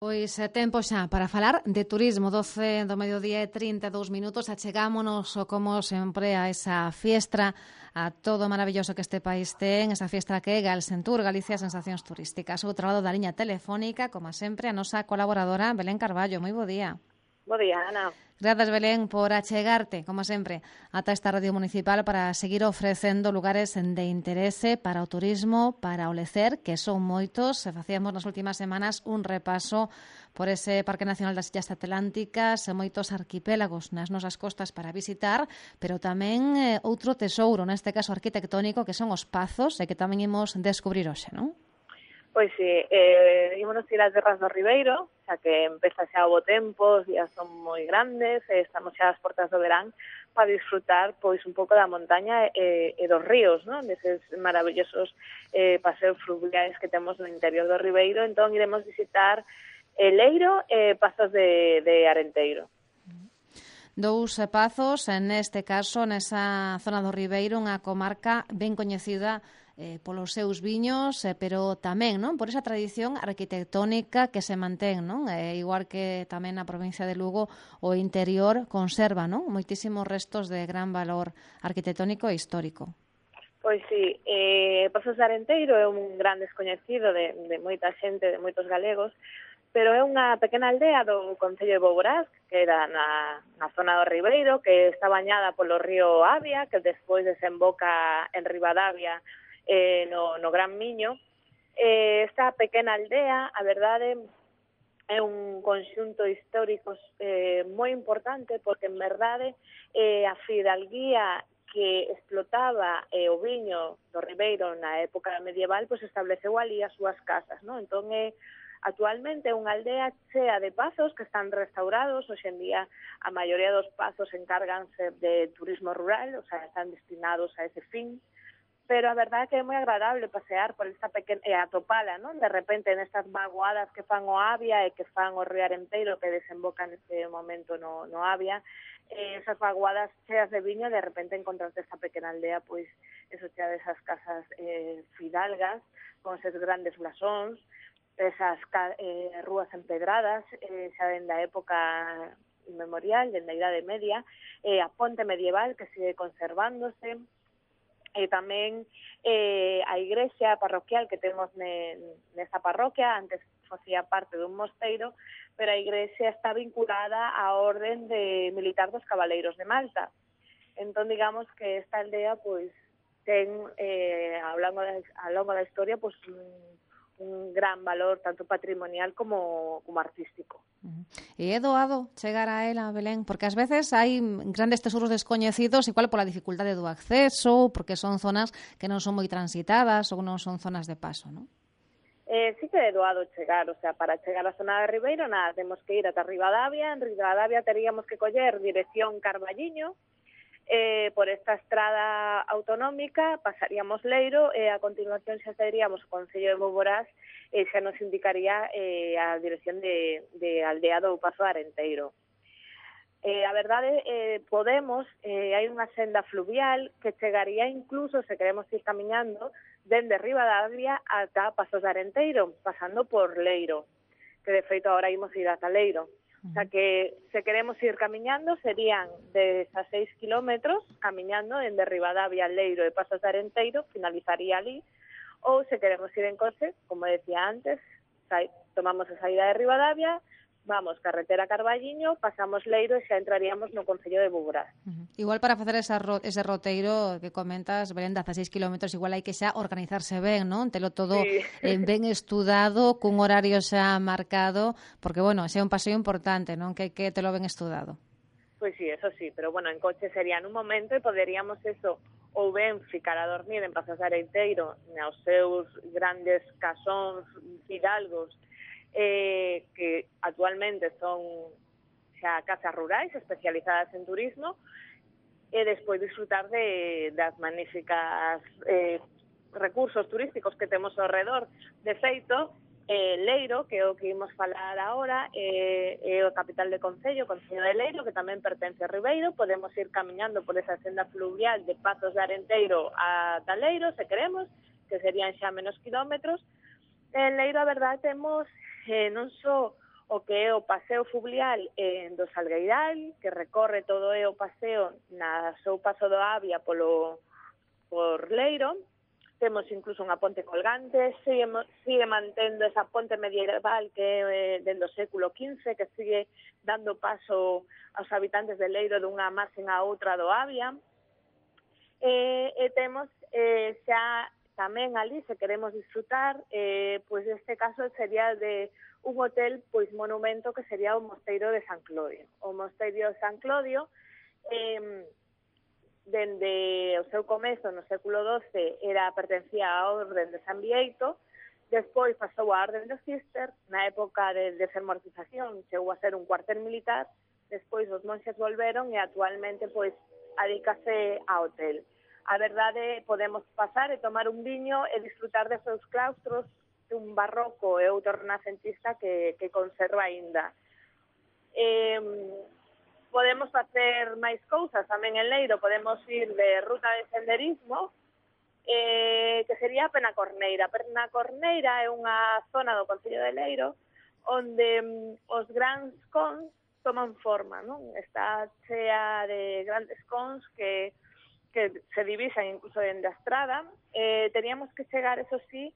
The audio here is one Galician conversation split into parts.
Pois tempo xa para falar de turismo. 12 do mediodía e 32 minutos. Achegámonos, como sempre, a esa fiestra, a todo o maravilloso que este país ten, esa fiestra que é Galsentur, Galicia Sensacións Turísticas. Outro lado da liña telefónica, como sempre, a nosa colaboradora Belén Carballo. Moi bo día. Bo día, Ana. Grazas, Belén, por achegarte, como sempre, ata esta radio municipal para seguir ofrecendo lugares de interese para o turismo, para o lecer, que son moitos. Facíamos nas últimas semanas un repaso por ese Parque Nacional das Illas Atlánticas, moitos arquipélagos nas nosas costas para visitar, pero tamén outro tesouro, neste caso arquitectónico, que son os Pazos, e que tamén imos descubrir hoxe, non? Pois sí, ímonos ir ás Terras do Ribeiro, xa que empeza xa o bo tempo, os días son moi grandes, estamos xa ás portas do verán para disfrutar pois un pouco da montaña e dos ríos, non? Deses maravillosos paseos fluviais que temos no interior do Ribeiro. Entón iremos visitar Leiro e Pazos de Arenteiro. Dous pazos, neste caso, nesa zona do Ribeiro, unha comarca ben coñecida polos seus viños, pero tamén, non, por esa tradición arquitectónica que se mantén, non? Igual que tamén na provincia de Lugo, o interior conserva, non, moitísimos restos de gran valor arquitectónico e histórico. Pois sí, Pazos de Arenteiro é un gran descoñecido de moita xente, de moitos galegos, pero é unha pequena aldea do concello de Boborás, que era na zona do Ribeiro, que está bañada polo río Avia, que despois desemboca en Ribadavia, no Gran Miño. Esta pequena aldea, a verdade, é un conxunto histórico moi importante, porque en verdade a fidalguía que explotaba o viño do Ribeiro na época medieval, pois estableceu ali as súas casas, non? Entón actualmente é unha aldea chea de pazos que están restaurados. Hoxe en día a maioría dos pazos encárganse de turismo rural, o sea, están destinados a ese fin. Pero a verdade é que é moi agradable pasear por esta pequena atopala, non? De repente nestas vaguadas que fan o Avia e que fan o río Arenteiro, que desemboca neste momento no Avia, esas vaguadas cheas de viño, de repente encontrarte esta pequena aldea, pois eso chea desas casas fidalgas, con eses grandes blasóns, esas rúas empedradas, xa dende a época inmemorial, dende a Idade Media, a ponte medieval que sigue conservándose, e tamén a igrexa parroquial que temos nesta parroquia. Antes facía parte dun mosteiro, pero a igrexa está vinculada á orden de militar dos Cabaleiros de Malta. Entón, digamos que esta aldea pois ten ao longo da historia pois un gran valor tanto patrimonial como artístico. E é doado chegar a ela, Belén, porque ás veces hai grandes tesouros descoñecidos, igual pola dificultade do acceso, porque son zonas que non son moi transitadas ou non son zonas de paso, non? Sí que é doado chegar, o sea, para chegar á zona de Ribeiro, nada, temos que ir ata Ribadavia. En Ribadavia teríamos que coller dirección Carballiño, por esta estrada autonómica pasaríamos Leiro e a continuación xa seríamos o concello de Boborás e xa nos indicaría a dirección de aldea do Pazo de Arenteiro. A verdade, podemos, hai unha senda fluvial que chegaría incluso, se queremos ir camiñando, dende Ribadavia ata Pazos de Arenteiro, pasando por Leiro, que de feito agora imos ir ata Leiro. O sea que, se queremos ir camiñando, serían 16 kilómetros camiñando dende Ribadavia, Leiro e Pazos de Arenteiro, finalizaría ali. Ou se queremos ir en coche, como decía antes, tomamos a saída de Ribadavia, vamos carretera Carballiño, pasamos Leiro e xa entraríamos no concello de Boborás. Igual para facer ese roteiro que comentas, Belén, 16 kilómetros, igual hai que xa organizarse ben, non? Telo todo ben estudado, cun horario xa marcado, porque, bueno, xa é un paseo importante, non? Que hai que telo ben estudado. Pois sí, eso sí, pero, bueno, en coche sería nun momento e poderíamos eso, ou ben ficar a dormir en Pazos de Arenteiro, nos seus grandes casóns fidalgos, que actualmente son xa casas rurais especializadas en turismo, e despois disfrutar das magníficas recursos turísticos que temos ao redor. De feito, Leiro, que é o que imos falar agora, é o capital de concello, Concello de Leiro, que tamén pertence a Ribeiro. Podemos ir camiñando por esa senda fluvial de Pazos de Arenteiro ata Leiro, se queremos, que serían xa menos kilómetros. En Leiro, a verdade, temos non só o que é o paseo fluvial do Salgueiral, que recorre todo o paseo na seu paso do Avia por Leiro. Temos incluso unha ponte colgante, sigue mantendo esa ponte medieval que é dentro do século XV, que sigue dando paso aos habitantes de Leiro dunha marxen a outra do Avia. E temos xa tamén ali, se queremos disfrutar, pois neste caso sería de un hotel, pois monumento, que sería o Mosteiro de San Clodio. O Mosteiro de San Clodio, dende o seu comezo no século XII pertencía á Orden de San Bieito, despois pasou á Orden dos Cister, na época de desermortización chegou a ser un cuartel militar, despois os monxes volveron e actualmente pois adícase a hotel. A verdade, podemos pasar e tomar un viño e disfrutar de seus claustros, un barroco e outro renacentista que conserva aínda. Podemos facer máis cousas tamén en Leiro, podemos ir de ruta de senderismo, que sería a Penacorneira. A Penacorneira é unha zona do concello de Leiro onde os grandes cons toman forma, non? Está chea de grandes cons que se divisan incluso dende a estrada. Teníamos que chegar, eso sí,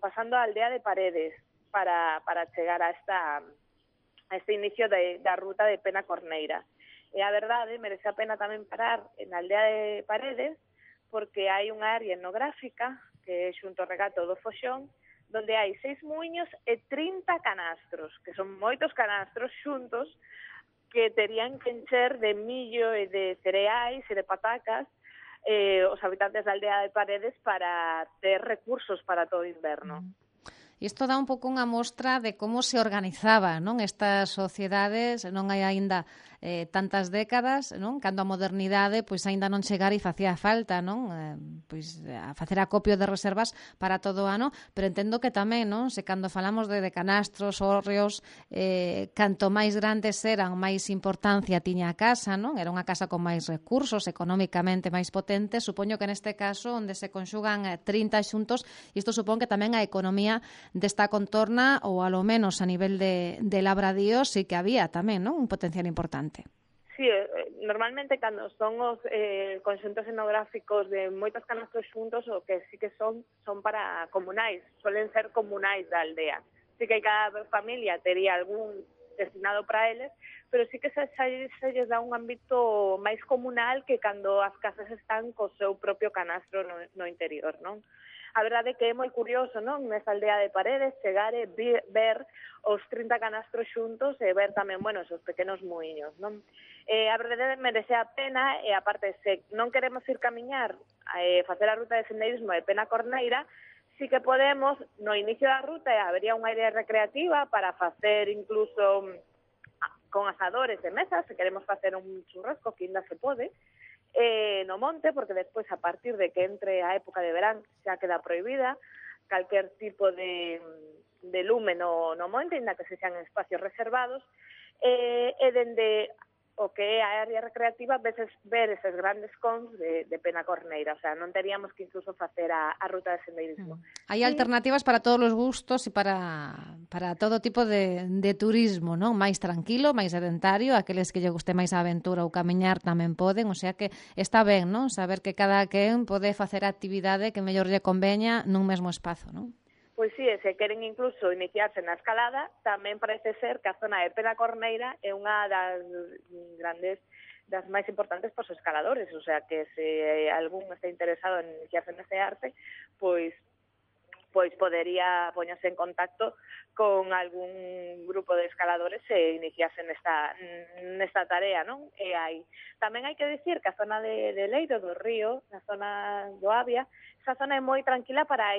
pasando a aldea de Paredes para chegar a este inicio da ruta de Penacorneira. E a verdade, merece a pena tamén parar na aldea de Paredes, porque hai unha área etnográfica que é xunto ao regato do Foxón, donde hai 6 muiños e 30 canastros, que son moitos canastros xuntos, que terían que encher de millo e de cereais e de patacas os habitantes da aldea de Paredes para ter recursos para todo o inverno. Isto dá un pouco unha mostra de como se organizaba, non, estas sociedades, non hai aínda tantas décadas, non? Cando a modernidade pois aínda non chegara e facía falta, non? Pois a facer acopio de reservas para todo o ano, pero entendo que tamén, non? Se cando falamos de canastros, hórreos, canto máis grandes eran, máis importancia tiña a casa, non? Era unha casa con máis recursos, económicamente máis potente. Supoño que neste caso, onde se conxugan 30 xuntos, isto supón que tamén a economía desta contorna, ou alo menos a nivel de labradío, sí que había tamén, non? Un potencial importante. Sí, normalmente cando son os conxuntos etnográficos de moitos canastros xuntos, o que sí que son para comunais, suelen ser comunais da aldea. Sí que cada familia tería algún destinado para eles, pero sí que se lles dá un ámbito máis comunal que cando as casas están co seu propio canastro no interior, non? A verdade é que é moi curioso, non? Nesta aldea de Paredes, chegar e ver os 30 canastros xuntos e ver tamén, bueno, esos pequenos muiños, non? A verdade merece a pena, e aparte, se non queremos ir camiñar, facer a ruta de senderismo de Penacorneira, sí que podemos, no inicio da ruta, habería unha área recreativa para facer incluso con asadores e mesas, se queremos facer un churrasco, que ainda se pode, no monte, porque despois, a partir de que entre a época de verán, xa queda prohibida calquer tipo de lume no monte, ainda que se sean espacios reservados, e dende o que é a área recreativa ver eses grandes cons de Penacorneira, o sea, non teríamos que incluso facer a ruta de senderismo. Hai alternativas para todos os gustos e para todo tipo de turismo, non? Mais tranquilo, máis sedentario, aqueles que lle guste máis a aventura ou camiñar tamén poden, o sea que está ben, non? Saber que cada quen pode facer a actividade que mellor lle conveña nun mesmo espazo, non? Pois sí, se queren incluso iniciarse na escalada, tamén parece ser que a zona de Penacorneira é unha das máis importantes para os escaladores, o sea que se algún está interesado en iniciarse neste arte, pois podería poñerse en contacto con algún grupo de escaladores e iniciarse nesta tarea, non? Tamén hai que dicir que a zona de Leiro do Río, na zona do Avia, esa zona é moi tranquila para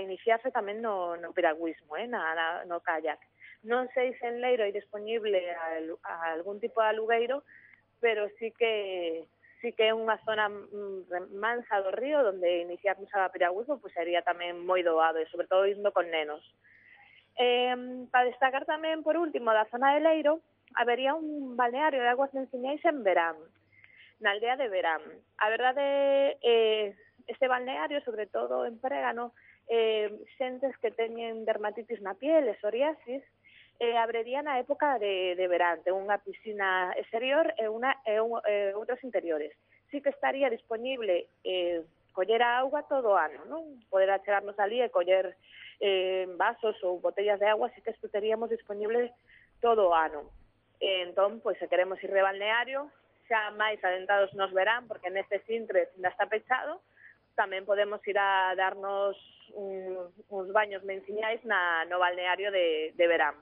iniciarse tamén no piragüismo, no kayak. Non sei se en Leiro hai disponible algún tipo de alugueiro, pero sí que é unha zona mansa do río onde iniciarnos a piragüismo sería tamén moi doado, e sobre todo indo con nenos. Para destacar tamén, por último, da zona de Leiro, habería un balneario de aguas enciñais en Verán, na aldea de Verán. A verdade, este balneario, sobre todo en Prégano, xentes que teñen dermatitis na piel e psoriasis, abriría na época de verán. Ten unha piscina exterior e outras interiores. Sí que estaría disponible coller a auga todo o ano, non? Poder achegarnos ali e coller vasos ou botellas de agua, sí que isto teríamos disponible todo o ano. Entón, pois, se queremos ir de balneario, xa máis adentados nos verán, porque neste Sintres ainda está pechado, tamén podemos ir a darnos uns baños menciñais no balneario de verán.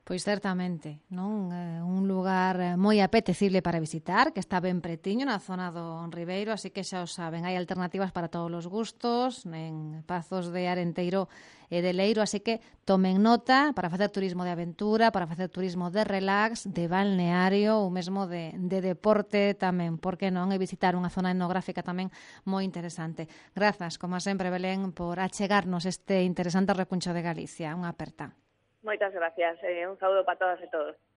Pois certamente, non? Un lugar moi apetecible para visitar, que está ben pretiño na zona do Ribeiro, así que xa o saben, hai alternativas para todos os gustos, en Pazos de Arenteiro e de Leiro, así que tomen nota para facer turismo de aventura, para facer turismo de relax, de balneario ou mesmo de deporte tamén, porque non? E visitar unha zona etnográfica tamén moi interesante. Grazas, como sempre, Belén, por achegarnos este interesante recuncho de Galicia. Unha aperta. Moitas gracias. Un saúdo para todas e todos.